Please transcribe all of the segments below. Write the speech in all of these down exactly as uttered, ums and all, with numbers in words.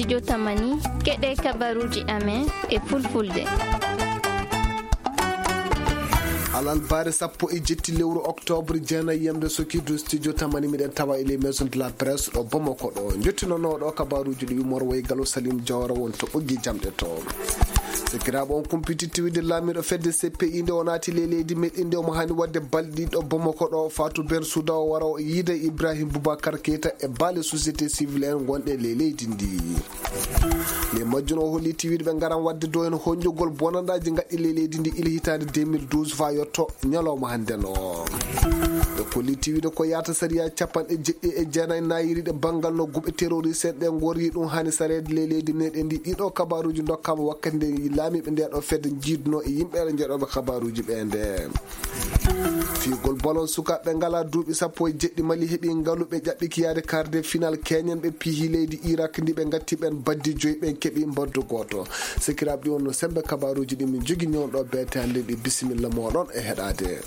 Studio Tamani, keɗe kabaruji amen e fulfulde. Alalbaare sappo e jetti lewru oktoobre, jeenayi yamde sokirdu Studio Tamani, miɗen tawa e les maisons de la presse ɗo Bamako ɗo. Jottinooɗo kabaruji ɗi yumor woy Galo Salim Jawara won to ɓoggi jamɗe to. Sikiraaɓe, on kumpiti tiwide laamiiɗo fedde C P I nde o naati ley leydi meɗen ndi, omo hani wadde balɗe ɗiɗo Bamako ɗo, Fatou Bensouda o wara o yiida Ibrahim Boubacar Keita e baale société civile en gonɗe ley leydi ndi. Nde majjum o holli tiwiiɗo ɓe ngaran wadde do en honƴugol bonandaaji ngaɗɗi ley leydi ndi ila hitaande deux mille douze fa yotto ñalawma hannde no. Ɓe kolli tiwiiɗo ko yaata sariya capanɗe jeɗɗi e jeenayi nayiriiɗe banngal no guɓe terroriste en ɗe ngori ɗum hani sareede ley leydi meɗen ndi. Ɗiɗo kabaruuji ndokkaama wakkati nde laamiiɓe nde ɗo fedde jiiduno e yimɓe jeɗooɓe kabaruuji ɓe nde. Fiyugol bolon sukaaɓe ngala duuɓi sappo e jeɗɗi Mali heɓi ngalu ɓe ƴaɓɓiki yaade quart de finale keñen ɓe pihi leydi Irak ndi ɓe ngatti ɓen baddi joyi ɓen keɓi mbaddu gooto. Sikiraaɓe ɗi wonno sembe kabaruuji ɗi min jogini on ɗo beete hannde ɗi. Bisimilla moɗon e heɗaade.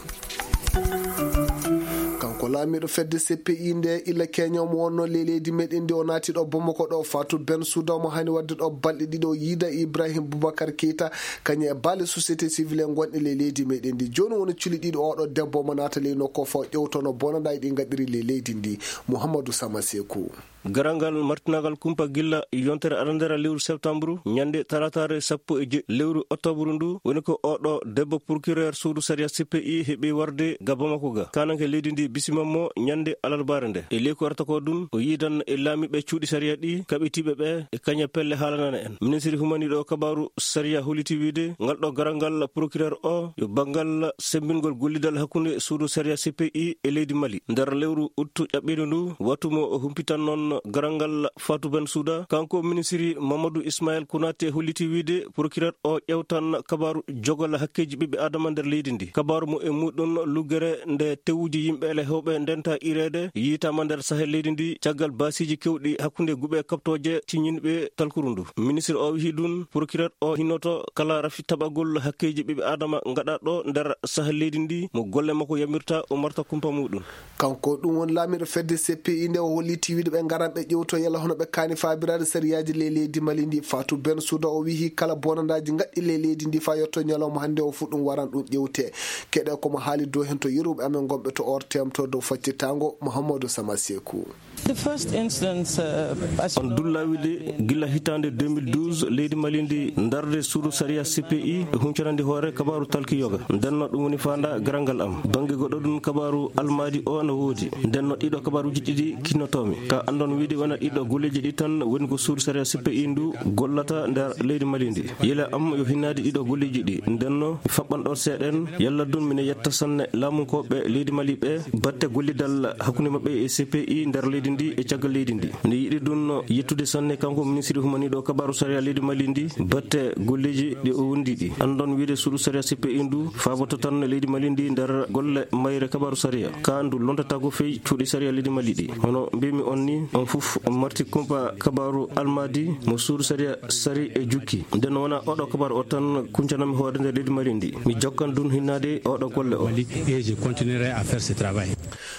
Kanko laamiiɗo fedde C P I nde illa keño mo wonno ley leydi meɗen ndi o naati ɗo Bamako ɗo Fatou Bensouda mo hani wadde ɗo balɗe ɗiɗo yiida Ibrahim Boubacar Keita kañum e baale société civile en gonɗe ley leydi meɗen ndi. Jooni woni culi ɗiɗo oɗo debbo mo naata ley nokku o faw ƴewtono bonanɗaaji ɗi ngaɗiri ley leydi ndi. Mouhamadou Sama Sekou. Garal ngal martinagal kumpa gilla yontere arantere lewru septambru, ñande talataare sappo e jeɗɗi lewru oktobru ndu, woni ko oɗo debbo procureur suudu sariya C P I heɓi warde ga Bamako ga. Kananke leydi ndi bisimammo ñande alarbaare nde. E leyku arata ko ɗum, o yiidan e laamiiɓe cuuɗi sariya ɗi, kaɓitiiɓe ɓe, e kaña pelle haalanana en. Ministiri humaniiɗo kabaru sariya holliti wiide, ngal ɗo garal ngal procureur o, yo banngal semmbingol gollidal hakkunde suudu sariya C P I e leydi Mali. Nder lewru uttu ƴaɓɓiiɗo ndu, watu mo o humpitan noon garal ngal Fatou Bensouda. Kanko ministiri Mamadou Ismaël Konaté holliti wiide, procureur o ƴewtan kabaru jogol hakkeeji ɓiɓɓe Adama nder leydi ndi. Kabaru mo e muɗum luggere nde tewuji yimɓe ele hewɓe ndenta ireede yiitama nder Sahel leydi ndi caggal baasiiji kewɗi hakkunde guɓe kaɓtooje ciññinɓe talkuru ndu. Ministiri o wihi ɗum, procureur o hinnoto kala rafi taɓagol hakkeeji ɓiɓɓe Adama ngaɗa ɗo nder Sahel leydi ndi, mo golle makko yamirta o marta kumpa muɗum. Kanko ɗum woni laamiiɗo fedde C P I nde o holli tiwiiɗo ɓe ngaran ɓe ƴewto yalla hono ɓe kaani faabiraade sariyaaji ley leydi Mali ndi. Fatou Bensouda o wihi kala bonandaaji ngaɗɗi ley leydi ndi fa yotto ñalawma hannde o fu ɗum waran ɗum ƴewte. Keɗe komo haali dow hen to yeruɓe amen gonɓe to O R T M to dow faccitango Mouhamadou Sama Sekou. The first instance, uh, as On dulla wiide gila hitaande deux mille douze leydi Mali ndi ndarde suudu sariya C P I e huncanandi hoore kabaru talki yoga. Ndenno ɗum woni faanda garangal am. Bannge goɗɗo ɗum kabaru almaadi o no woodi. Ndenno ɗiɗo kabaruuji ɗiɗi kinnotoomi. Ka andon wiide wona ɗiɗo golleeji ɗi tan woni ko suudu sariya C P I ndu gollata nder leydi Mali ndi. Yela am yo hinnaade ɗiɗo golleeji ɗi. Ndenno mi faɓɓan ɗo seeɗen. Yalla ɗum mine yetta sanne laamunkooɓe leydi Mali ɓe batte gollidal hakkunde maɓɓe e C P I nder leydi ndi e caggal leydi ndi. Nde yiɗi ɗum no yettude sanne kanko ministiri humaniiɗo kabaru sariya leydi Mali ndi batte golleeji ɗi o wondi ɗi. Andon wiide suudu sariya C P I ndu faaboto tan leydi Mali ndi nder golle mayre kabaru sariya. Ka ndu lontatago fey cuuɗi sariya leydi Mali ɗi. Hono mbimi on ni, on fof on marti kumpa kabaru almaadi mo suudu sariya sari e jukki. Nden wona oɗo kabaru o tan kuncanami hoore nder leydi Mali ndi. Mi jokkan ɗum hinnaade oɗo golle o. Mali, et je continuerai à faire ce travail.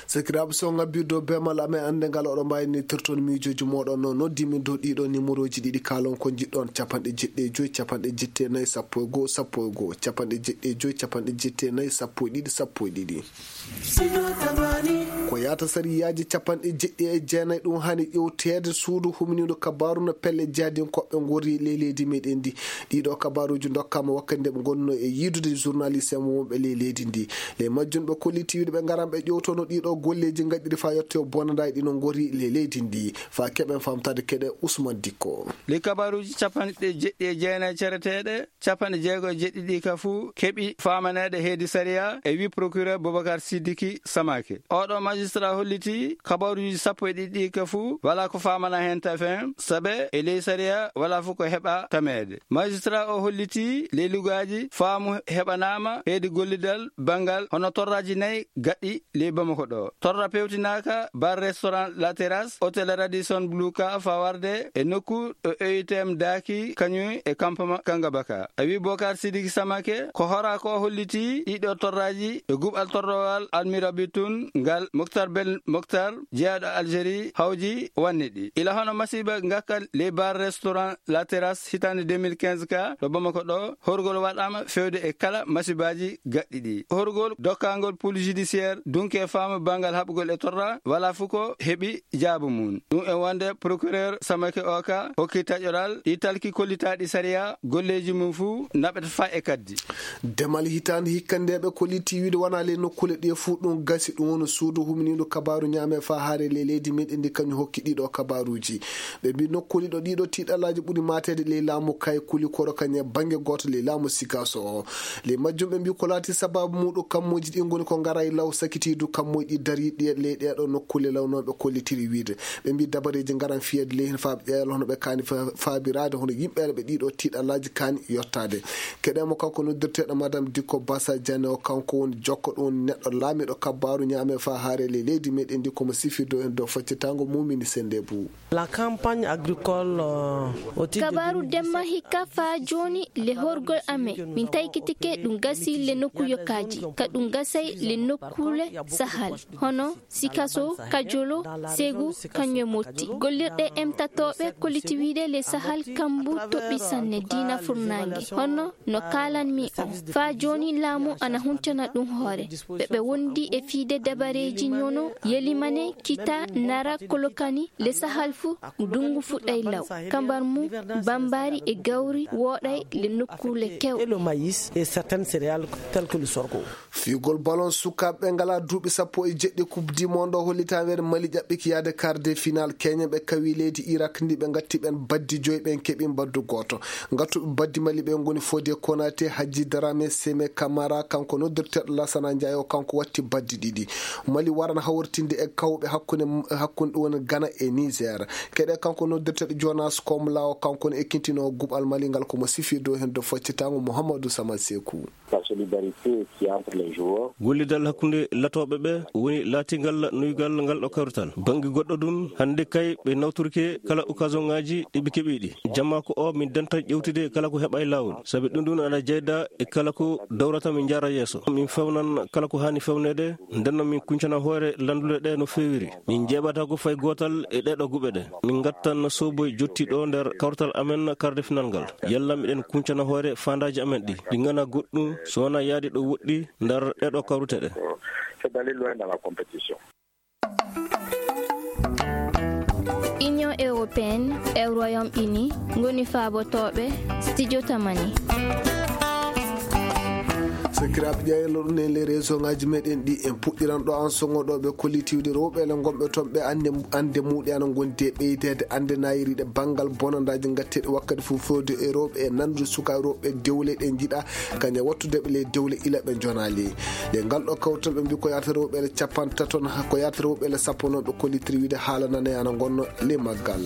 Sakiraaɓe, so on ngabbii dow beemal amen annde ngal, oɗon mbaawi nittirton miijooji mooɗon no noddi min dow ɗiɗo nimorooji ɗiɗi, kaalon ko njiɗɗon, capanɗe jeɗɗi e joy, capanɗe jeɗɗi e nayi, sappo e goo, sappo e goo, capanɗe jeɗɗi e joy, capanɗe jeɗɗi e nayi, sappo e ɗiɗi, sappo e ɗiɗi. Ko yaata sariyaaji capanɗe jeɗɗi e jeenayi ɗum hani ƴewteede suudu huminiiɗo kabaaru no pelle jahdinkooɓe ngori ley leydi meɗen ndi. Ɗiɗo kabaaruuji ndokkaama wakkati nde ɓe ngonno e yiidude journaliste en wonɓe ley leydi ndi. Ley majjum ɓe kolli tiwiiɗo ɓe ngaran ɓe ƴewtono ɗiɗo golleeji ngaɗɗiri faa yotte o bonandaa e ɗino ngori ley leydi ndi. Faa keɓen famtaade keɗe Ousmane Dikko. Ley kabaaruuji capanɗe jeɗɗi e jeenayi cereteeɗe, capanɗe jeego e jeɗɗi ɗi ka fuu keɓi faamaneede heedi sariya e wi procureur Boubacar Sidiki Samake. Oɗo magistrat holliti kabaruuji sappo e ɗiɗi ɗi ka fuu walaa ko faamana heen tafen, sabe e ley sariya walaa fof ko heɓa tameede. Magistrat o holliti ley lugaaji faamu heɓanaama heedi gollidal banngal hono torraaji nayi gaɗɗi ley Bamako ɗo. Torra pewtinaaka bar restaurant La Terrasse, hôtel Radisson Blu ka fawarde e nokku ɗo O I T M daaki kañum e campement Kangabaka. A wi Bokar Sidiki Samake ko hora ko holliti ɗiɗo torraaji e guɓal torrowal almirabi tun ngal Moctar Moktar Bel Moktar, jeyaaɗo Algérie, hawji wanni ɗi. Ila hono masiiba ngakka ley bar restaurant La Terrasse hitaande deux mille quinze ka ɗo Bamako ɗo, horgol waɗaama fewde e kala masiibaaji gaɗɗi ɗi. Horgol dokkangol police judiciaire dunke faamu banngal haɓugol e torra, wala fu ko heɓi jaabu mum. Ɗum e wonde procureur Samake Oka hokki taƴoral ɗi talki kollitaaɗi sariya, golleeji mum fuu naɓata faa e kaddi. Demal hitaande hikka nde ɓe kolliti wiide wona ley nokkuule ɗiye fuu ɗum gasi, ɗum woni suudu huminiiɗo kabaaru ñaame faa haare ley leydi meɗen ndi kañum hokki ɗiɗo kabaaruuji. Ɓe mbi nokkuuli ɗo ɗiɗo tiiɗalaaji ɓuri maateede ley laamu kay kuli koro kañum e bannge gooto ley laamu Sikaso o. Ley majjum ɓe mbi ko laati sababu muuɗum kammuuji ɗi ngoni ko ngara e law sakitiidu kammuuji ɗi dariiɗi e ley ɗeeɗo nokkuule law no ɓe kollitiri wiide. Ɓe mbi dabareeji ngaran fiyeede ley heen faa ɓe ƴeewa hono ɓe kaani fa-, faabiraade hono yimɓe ɓe ɗiɗo tiiɗalaaji kaani yottaade. Keɗen mo kanko noddirteeɗo Madame Dikko Basa Diané o, kanko woni jokko ɗum woni neɗɗo laamiiɗo kabbaaru ñaame faa haare ley leydi meɗen ndi ko mo sifirde heen dow faccitaango mumini sennde buu. La campagne agricole, euh, au titre de kabaaru deux mille dix-sept, demma hikka faa jooni le horgol amen. Min taykitike ɗum gasi le nokku yokkaaji, ka ɗum gasay le nokkuule sahal, hono Sikaso, Kajolo, Segu, kañum e Motti. Gollirɗe emtatooɓe kolliti wiide le sahal kambu toɓɓi sanne diina furnaange. Hono no kaalanmi on, faa jooni laamu ana huncana ɗum hoore. Ɓe ɓe wondi e fiide dabareeji ñono, yelimane, kita, nara, kolokani, le sahal fu, dungu fuɗɗay law. Kambar mu, bambari e gawri wooɗay le nokkuule kew. Et le maïs et certaines céréales telles que le sorgho. Fiigol ballon sukaaɓe ɓe ngalaa duuɓi sappo e jeɗɗi Coupe du Monde o hollitaama weeɓde Mali ƴaɓɓiki yahde quart de finale. Keñen ɓe kawi leydi Irak ndi ɓe ngatti ɓen baddi joyi, ɓen keɓi mbaddu gooto. Ngattuɓe baddi Mali ɓe ngoni Fodé Konaté, Hadji Dramé, Sémé Camara, kanko noddirteeɗo Lassana Ndiaye o, kanko watti baddi ɗiɗi. Mali waran hawritinde e kawɓe hakkunde, hakkunde ɗum woni Ghana e Niger. Keɗe kanko noddirteeɗo Jonas Komla o, kanko woni ekkintinoowo guɓal Mali ngal, ko mo sifirde o heen dow faccitaango Mouhamadou Samal Sekou. La solidarité qui entre les joueurs. Gollidal hakkunde latooɓe ɓe woni laatingal nuygal ngal ɗo kawrital. Bannge goɗɗo ɗum, hannde kay ɓe nawtorike kala occasion ŋaaji ɗi ɓe keɓi ɗi. Jamma ko o min denta ƴewtude kala ko heɓa e laawol. Sabi ɗum ɗum ana jeyda e kala ko dawrata min njaara yeeso. Min fewnan kala ko haani fewneede, nden noon min kuncana hoore lanndule ɗe no feewiri. Min njeeɓata ko fay gootal e ɗeeɗo guɓe ɗe. Min ngattan soboy jotti ɗo nder kawrital amen quart de finale ngal. Yalla miɗen kuncana hoore faandaaji amen ɗi. Ɗi ngana goɗɗum, so wona yaadi ɗo woɗɗi nder ɗeeɗo kawrute ɗe. C'est d'aller loin dans la compétition. Union européenne e Royaume-Uni ngoni faabotooɓe Studio Tamani. Sakiraaɓe, ƴeewlo ɗum en les réseau ngaji meɗen ɗi en puɗɗiran ɗo an songo ɗo ɓe kollitiwde rewɓe le gonɓe toon ɓe annde, annde muɗe ana gondi e ɓeydeede annde nayiriɗe banngal bonandaaji ngatteeɗi wakkati fof fewde e rewɓe e nandude suka rewɓe dewle ɗe njiɗa kañe wattude ɓe le dewle ila ɓe jonaali. Nde ngal ɗo kawtal ɓe mbi ko yaata rewɓe le capantato, ko yaata rewɓe le sappo noon ɓe kollitiri wiide haala nane ana gonno le maggal.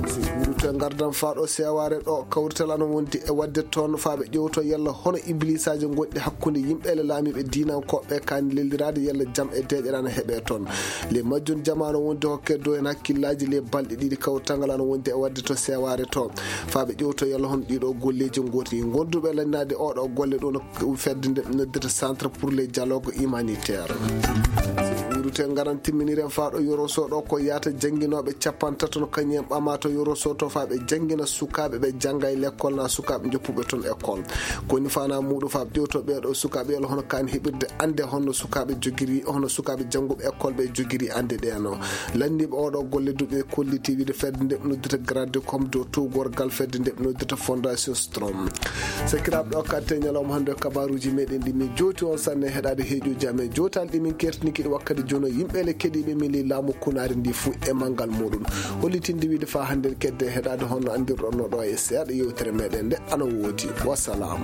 Si wuruto e ngardan faa ɗo seewaare ɗo kawrital ana wondi e waɗde toon faa ɓe ƴewto yalla hono ibliisaaji gonɗi hakkunde yimɓe le laamiiɓe diinankooɓe kaani lelliraade yalla jam e deeƴere ana heɓe toon. Le majjum jamaano wondi hokke dow en hakkillaaji le balɗe ɗiɗi kawrital ngal ana wondi e waɗde to seewaare to. Faa ɓe ƴewto yalla hono ɗiɗo golleeji ngooti. Gonduɓe lannaade oɗo golle ɗo no fedde nde noddata Centre pour le Dialogue Humanitaire. Wuurute ngaran timminiren faa ɗo yoro so ɗo ko yaata jannginooɓe capantato no kañum en ɓama to yoro so to faa ɓe janngina sukaaɓe ɓe jannga e lekkol na sukaaɓe joppuɓe toon école. Koni fana muuɗum faa ɓe ƴewto ɓee ɗo sukaaɓe yalla hono kaani heɓirde annde hono sukaaɓe jogiri, hono sukaaɓe jannguɓe école ɓe jogiri annde ɗee no. Lanniiɓe oɗo golle duuɓi kolliti wiide fedde nde noddata Gradecom dow tuugorgal fedde nde noddata Fondation Strom. Sakiraaɓe ɗo katte ñalawma hannde kabaruuji meɗen ɗi min jowti on sanne heɗaade heeƴuuji amen jowtaali ɗi min kertiniki ɗi wakkati jono yimɓe le keɗiiɓe min li laamu kunaari ndi fuu e manngal muɗum. Hollitinde wiide faa hannde en kedde heɗaade honno anndirɗon no ɗo e seeɗa yewtere meɗen nde ana woodi. Wasalaam.